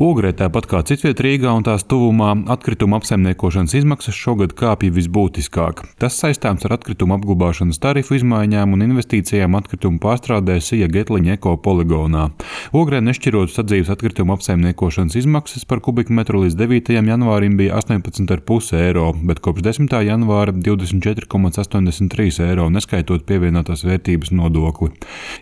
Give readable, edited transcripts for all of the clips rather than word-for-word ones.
Ogrē, tāpat kā citviet Rīgā un tās tuvumā, atkrituma apsaimniekošanas izmaksas šogad kāpja visbūtiskāk. Tas saistāms ar atkrituma apglabāšanas tarifu izmaiņām un investīcijām atkrituma pārstrādē Sija Getliņa ekopoligonā. Ogrē nešķirot sadzīves atkrituma apsaimniekošanas izmaksas par kubikmetru līdz 9. janvārim bija 18,5 eiro, bet kopš 10. janvāra 24,83 eiro, neskaitot pievienotās vērtības nodokli.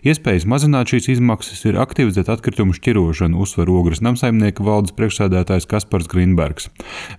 Iespējas mazināt šīs izmaksas ir aktivizēt atkritumu šķirošanu, uzsver Ogres namsaimnieks valdes priekšsēdētājs Kaspars Grīnbergs.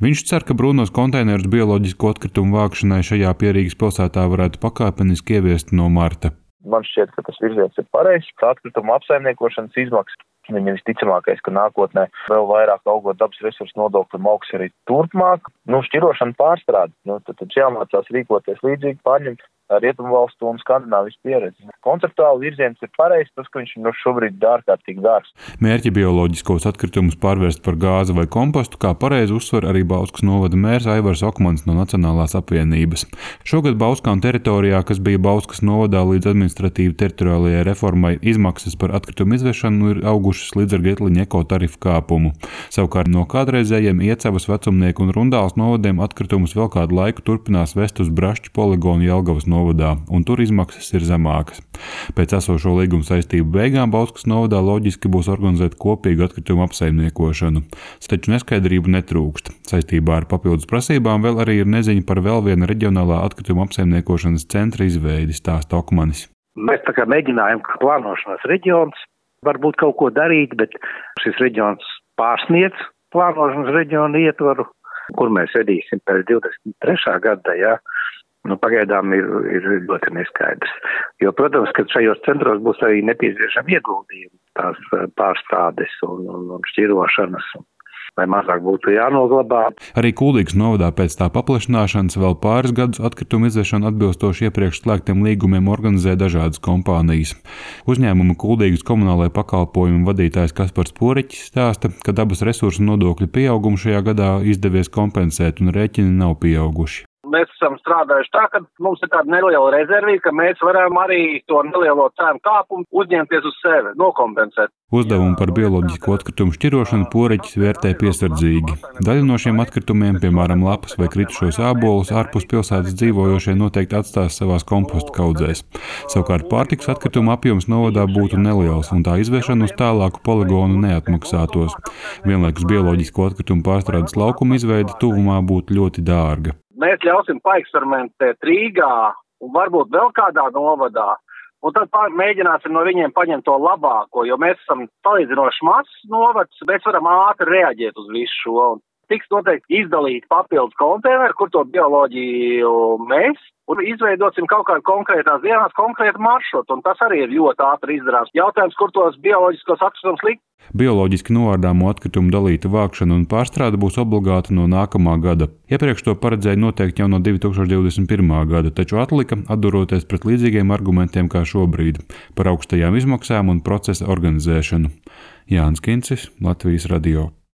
Viņš cer, ka brūnos konteinerus bioloģisko atkritumu vākšanai šajā Pierīgas pilsētā varētu pakāpeniski ieviest no marta. Man šķiet, ka tas virziens ir pareizs. Atkrituma apsaimniekošanas izmaksas viņa visticamākais, ka nākotnē vēl vairāk augot dabas resursu nodokļu augs arī turpmāk. Šķirošana pārstrāde. Tad jāmācās rīkoties līdzīgi, pārņemt Rietumvalstu un Skandināvijas pieredzi. Konceptuāli virziens ir pareizs, tas, ka viņš šobrīd ir ārkārtīgi dārgs. Mērķi bioloģiskos atkritumus pārvērst par gāzi vai kompostu, kā pareizi uzsver arī Bauskas novada mērs Aivars Okmans no Nacionālās apvienības. Šogad Bauskām teritorijā, kas bija Bauskas novadā līdz administratīvi teritoriālajai reformai, izmaksas par atkritumu izvešanu ir augušas līdz ar Getliņa ekotarifu kāpumu. Savukārt no kādreizējiem Iecavas, Vecumnieku un Rundāles novadiem atkritumus vēl kādu laiku turpinās vest uz Brašķu poligonu Jelgavas novadā, un tur izmaksas ir zemākas. Pēc esošo līguma saistību beigām Bauskas novadā loģiski būs organizēt kopīgu atkritumu apsaimniekošanu. Taču neskaidrību netrūkst. Saistībā ar papildus prasībām vēl arī ir neziņa par vēl viena reģionālā atkrituma apsaimniekošanas centra izveidi, stāsta Okmanis. Mēs tā kā mēģinājām, kā plānošanas reģions, varbūt kaut ko darīt, bet šis reģions pārsniedz plānošanas reģionu ietvaru, kur mēs vedīsim pēc 23. gada, jā. Pagaidām ir ļoti neskaidrs. Jo, protams, ka šajos centros būs arī nepieciešami ieguldījumi, tās pārstādes un šķirošanas, lai mazāk būtu jānoglabā. Arī Kuldīgas novadā pēc tā paplašināšanas vēl pāris gadus atkritumu izvešanu atbilstoši iepriekš slēgtiem līgumiem organizē dažādas kompānijas. Uzņēmuma Kuldīgas komunālajā pakalpojumu vadītājs Kaspars Poriķis stāsta, ka dabas resursu nodokļu pieaugumu šajā gadā izdevies kompensēt un rēķini nav pieauguši. Mēs esam strādājuši tā, ka mums ir tāda neliela rezervīta, ka mēs varam arī to nelielo cēnu kāpumu uzņemties uz sevi, nokompensēt. Uzdevumu par bioloģisko atkritumu šķirošanu Poriķis vērtē piesardzīgi. Daļu no šiem atkritumiem, piemēram, lapas vai kritušos ābolus, ārpus pilsētas dzīvojošie noteikti atstās savās kompostu kaudzēs. Savukārt pārtikas atkritumu apjoms novadā būtu neliels, un tā izvešana uz tālāku poligonu neatmaksātos. Vienlaikus bioloģisko atkritumu pārstrādes laukuma izveide tuvumā būtu ļoti dārga. Mēs ļausim paeksperimentēt Rīgā un varbūt vēl kādā novadā, un tad mēģināsim no viņiem paņemt to labāko, jo mēs esam salīdzinoši mazs novads, mēs varam ātri reaģēt uz visu šo. Tiks noteikti izdalīt papildus konteineru, kur to bioloģiju mēs, un izveidosim kaut kādā konkrētās dienās konkrētu maršrutu, un tas arī ir ļoti ātri izdarāms. Jautājums, kur tos bioloģiskos atkritumus likt? Bioloģiski novārdāmo atkritumu dalīta vākšana un pārstrāde būs obligāta no nākamā gada. Iepriekš to paredzēja noteikti jau no 2021. gada, taču atlika, atduroties pret līdzīgiem argumentiem kā šobrīd, par augstajām izmaksām un procesa organizēšanu. Jānis Kincis, Latvijas radio.